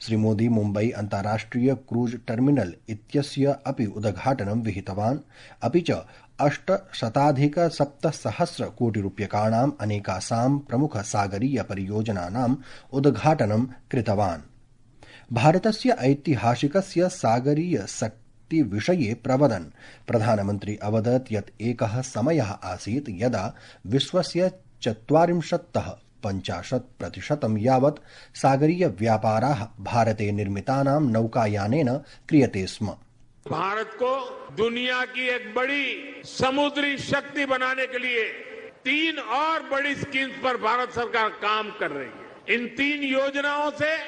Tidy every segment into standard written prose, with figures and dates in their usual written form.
श्रीमोदी मुम्बई अन्ताराष्ट्रिय cruise terminal इत्यस्य अपि उद्घाटनं विहितवान्। अपि च 800,700 कोटिरूप्यकाणाम् अनेकासां प्रमुख सागरीय परियोजनानाम् उद्घाटनं कृतवान्। भारतस्य ऐतिहासिकस्य सागरीय शक्तिविषये प्रवदन् प्रधानमन्त्री अवदत् यत् एकः समयः आसीत् यदा विश्वस्य 40-50% यावत् सागरीय व्यापाराः भारते निर्मितानां नौकायानेन क्रियते स्म। भारत को दुनिया की एक बड़ी समुद्री शक्ति बनाने के लिए 3 और बड़ी स्कीम्स पर भारत सरकार काम कर रही है। इन 3 योजनाओं से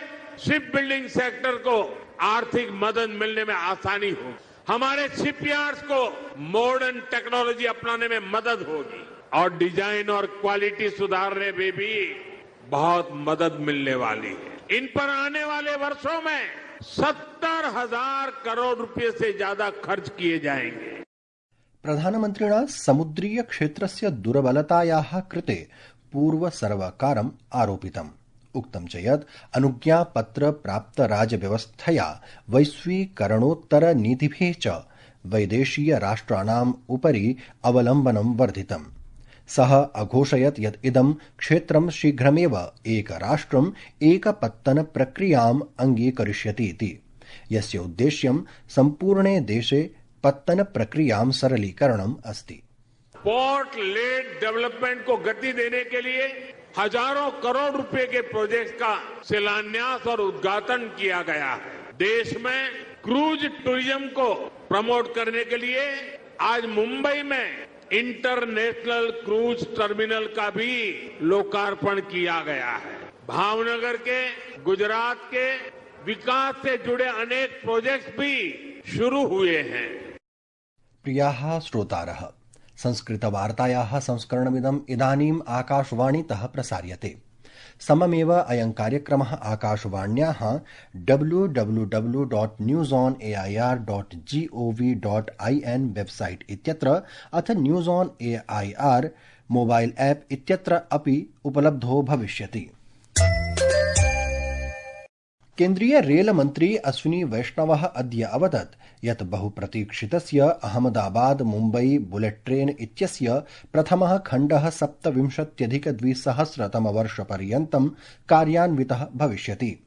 शिप बिल्डिंग सेक्टर को आर्थिक मदद मिलने में आसानी होगी, हमारे शिपयार्ड्स को मॉडर्न टेक्नोलॉजी अपनाने में मदद होगी और डिजाइन और क्वालिटी सुधारने में भी बहुत मदद मिलने वाली है। इन पर आने वाले वर्षों में 70,000 करोड़ रुपए से ज्यादा खर्च किए जाएंगे। प्रधानमन्त्रिणा समुद्रीय क्षेत्रस्य दुर्बलतायाः कृते पूर्वसर्वकारम् आरोपितम्। उक्तं च यत् अनुज्ञापत्र प्राप्त राजव्यवस्थया वैश्वीकरणोत्तर नीतिभिः च वैदेशीय राष्ट्राणाम् उपरि अवलम्बनं वर्धितम्। सः अघोषयत् यत् इदं क्षेत्रं शीघ्रमेव एकराष्ट्रम् एकपत्तन प्रक्रियाम् अङ्गीकरिष्यतीति, यस्य उद्देश्यं सम्पूर्णे देशे पत्तन प्रक्रियां सरलीकरणम् अस्ति। पोर्ट लेड डेवलपमेंट को गति देने के लिए हजारों करोड़ रुपए के प्रोजेक्ट का शिलान्यास और उद्घाटन किया गया है। देश में क्रूज टूरिज्म को प्रमोट करने के लिए आज मुंबई में इंटरनेशनल क्रूज टर्मिनल का भी लोकार्पण किया गया है। भावनगर के, गुजरात के विकास से जुड़े अनेक प्रोजेक्ट्स भी शुरू हुए हैं। प्रियाः श्रोतारः, संस्कृतवार्तायाः संस्करणमिदम् इदानीम् आकाशवाणीतः प्रसार्यते। सममेव अयं कार्यक्रमः आकाशवाण्याः www.newsonair.gov.in वेबसाइट इत्यत्र अथ news on AIR mobile app इत्यत्र अपि उपलब्धो भविष्यति। केन्द्रीय रेल मन्त्री अश्विनी वैष्णवः अद्य अवदत् यत् बहुप्रतीक्षितस्य अहमदाबाद मुम्बई बुलेट ट्रेन इत्यस्य प्रथमः खण्डः 27,200तमवर्षपर्यन्तं कार्यान्वितः भविष्यति।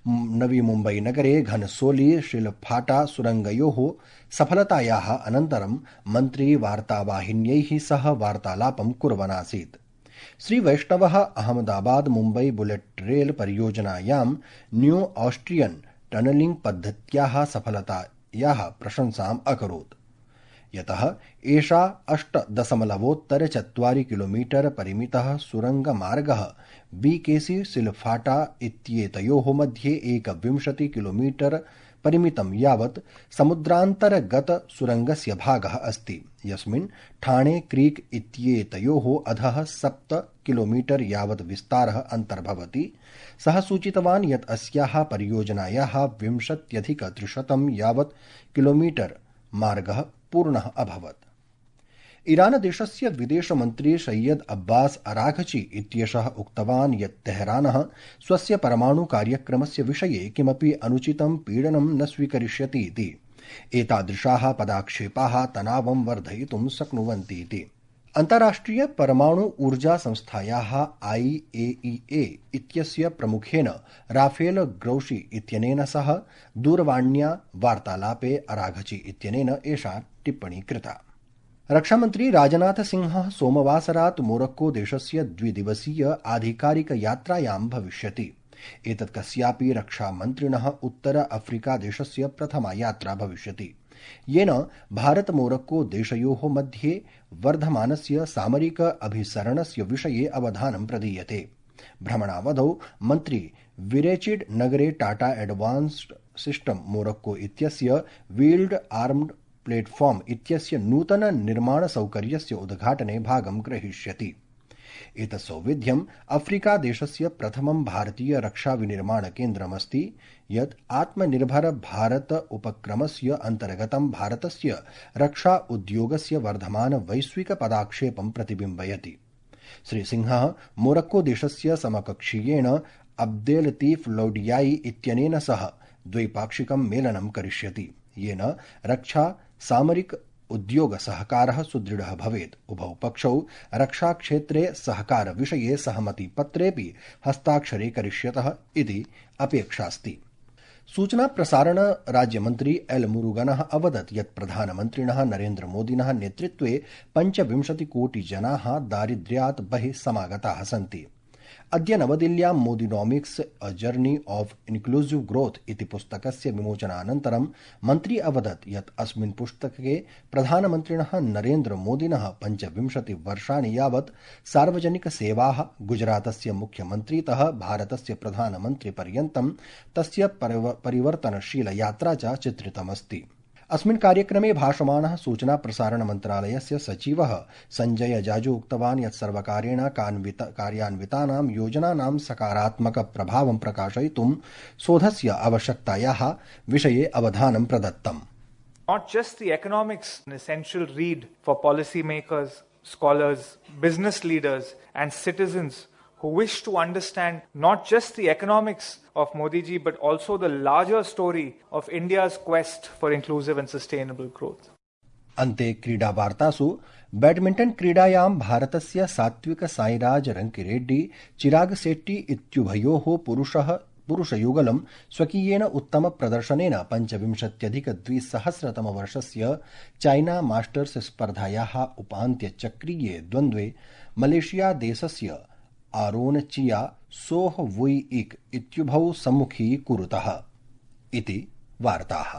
नवी मुम्बई नगरे घनसोली शिलफाटा सुरंगयोः सफलतायाः अनन्तरं मन्त्री वार्तावाहिन्यैः सह वार्तालापं कुर्वन् आसीत्। श्री वैष्णवः अहमदाबाद मुम्बई बुलेट रेल परियोजनायां न्यू ऑस्ट्रियन टनलिंग पद्धत्याः सफलतायाः प्रशंसाम् अकरोत्, यतः एषा 8.4 किलोमीटर परिमितः सुरंगमार्गः बीकेसी सिलफाटा इत्येतयोः मध्ये 21 किलोमीटर परिमितं यावत् समुद्रान्तर्गत सुरंगस्य भागः अस्ति, यस्मिन् ठाणे क्रीक इत्येतयोः अधः 7 किलोमीटर यावत् विस्तारः अन्तर्भवति। सः सूचितवान् यत् अस्याः परियोजनायाः 20,300 यावत् किलोमीटर मार्गः पूर्णः अभवत्। ईरान देशस्य विदेशमन्त्री सैयद अब्बास अराघची इत्येषः उक्तवान् यत् तेहरानः स्वस्य परमाणु कार्यक्रमस्य विषये किमपि अनुचितं पीडनं न स्वीकरिष्यति इति। एतादृशाः पदाक्षेपाः तनावं वर्धयितुं शक्नुवन्ति इति। अन्ताराष्ट्रिय परमाणु ऊर्जा संस्थायाः IAEA इत्यस्य प्रमुखेन राफेल ग्रोशी इत्यनेन सह दूरवाण्या वार्तालापे अराघची इत्यनेन एषा टिप्पणी कृता। रक्षामन्त्री राजनाथ सिंहः सोमवासरात् मोरक्को देशस्य 2 दिवसीय आधिकारिक यात्रायां भविष्यति। एतत् कस्यापि रक्षामन्त्रिणः उत्तर अफ्रीका देशस्य प्रथमा यात्रा भविष्यति, येन भारत मोरक्को देशयोः मध्ये वर्धमानस्य सामरिक अभिसरणस्य विषये अवधानं प्रदीयते। भ्रमणावधौ मन्त्री विरेचिड नगरे टाटा एडवांस्ड सिस्टम मोरक्को इत्यस्य व्हील्ड आर्म्ड प्लेटफॉर्म इत्यस्य नूतन निर्माण सौकर्यस्य उद्घाटने भागं ग्रहीष्यति। एतत् सौविध्यम् अफ्रीका देशस्य प्रथमं भारतीय रक्षा विनिर्माण केन्द्रमस्ति, यत् आत्मनिर्भर भारत उपक्रमस्य अन्तर्गतं भारतस्य रक्षा उद्योगस्य वर्धमान वैश्विक पदाक्षेपं प्रतिबिम्बयति। श्री सिंहः मोरक्को देशस्य समकक्षीयेण अब्देलतीफ लौडियाई इत्यनेन सह द्वैपाक्षिकं मेलनं करिष्यति, येन रक्षा सामरिक उद्योग सहकारः सुदृढः भवेत्। उभौ पक्षौ रक्षाक्षेत्रे सहकार विषये सहमतिपत्रेऽपि हस्ताक्षरे करिष्यतः इति अपेक्षास्ति। सूचना प्रसारण राज्यमन्त्री एल मुरुगनः अवदत् यत् प्रधानमन्त्रिणः नरेन्द्र मोदिनः नेतृत्वे 25 कोटि जनाः दारिद्र्यात् बहिः समागताः सन्ति। अद्य नवदिल्ल्यां Modinomics a journey of inclusive growth इति पुस्तकस्य विमोचनानन्तरं मन्त्री अवदत् यत् अस्मिन् पुस्तके प्रधानमन्त्रिणः नरेन्द्र मोदिनः 25 वर्षाणि यावत् सार्वजनिकसेवाः गुजरातस्य मुख्यमन्त्रीतः भारतस्य प्रधानमन्त्रिपर्यन्तं तस्य परिवर्तनशील यात्रा च चित्रितमस्ति। अस्मिन् कार्यक्रमे भाषमाणः सूचना प्रसारण मन्त्रालयस्य सचिवः संजय जाजू उक्तवान् यत् सर्वकारेण कार्यान्वितानां योजनानां सकारात्मक प्रभावं प्रकाशयितुं शोधस्य आवश्यकतायाः विषये अवधानं प्रदत्तम्। Not just the economics, an essential read for policymakers, scholars, business leaders and citizens who wish to understand not just the economics of Modi ji but also the larger story of India's quest for inclusive and sustainable growth. अन्ते क्रीडावार्तासु badminton क्रीडायां भारतस्य सात्विक साईराज रंकिरेड्डी चिराग शेट्टी इत्युभयोः पुरुषयुगलं स्वकीयेन उत्तम प्रदर्शनेन 25,200तमवर्षस्य China masters स्पर्धायाः उपान्त्यचक्रीये द्वन्द्वे Malaysia देशस्य Aron chia सोह वुई इक इत्युभौ सम्मुखीकुरुतः इति वार्ताः।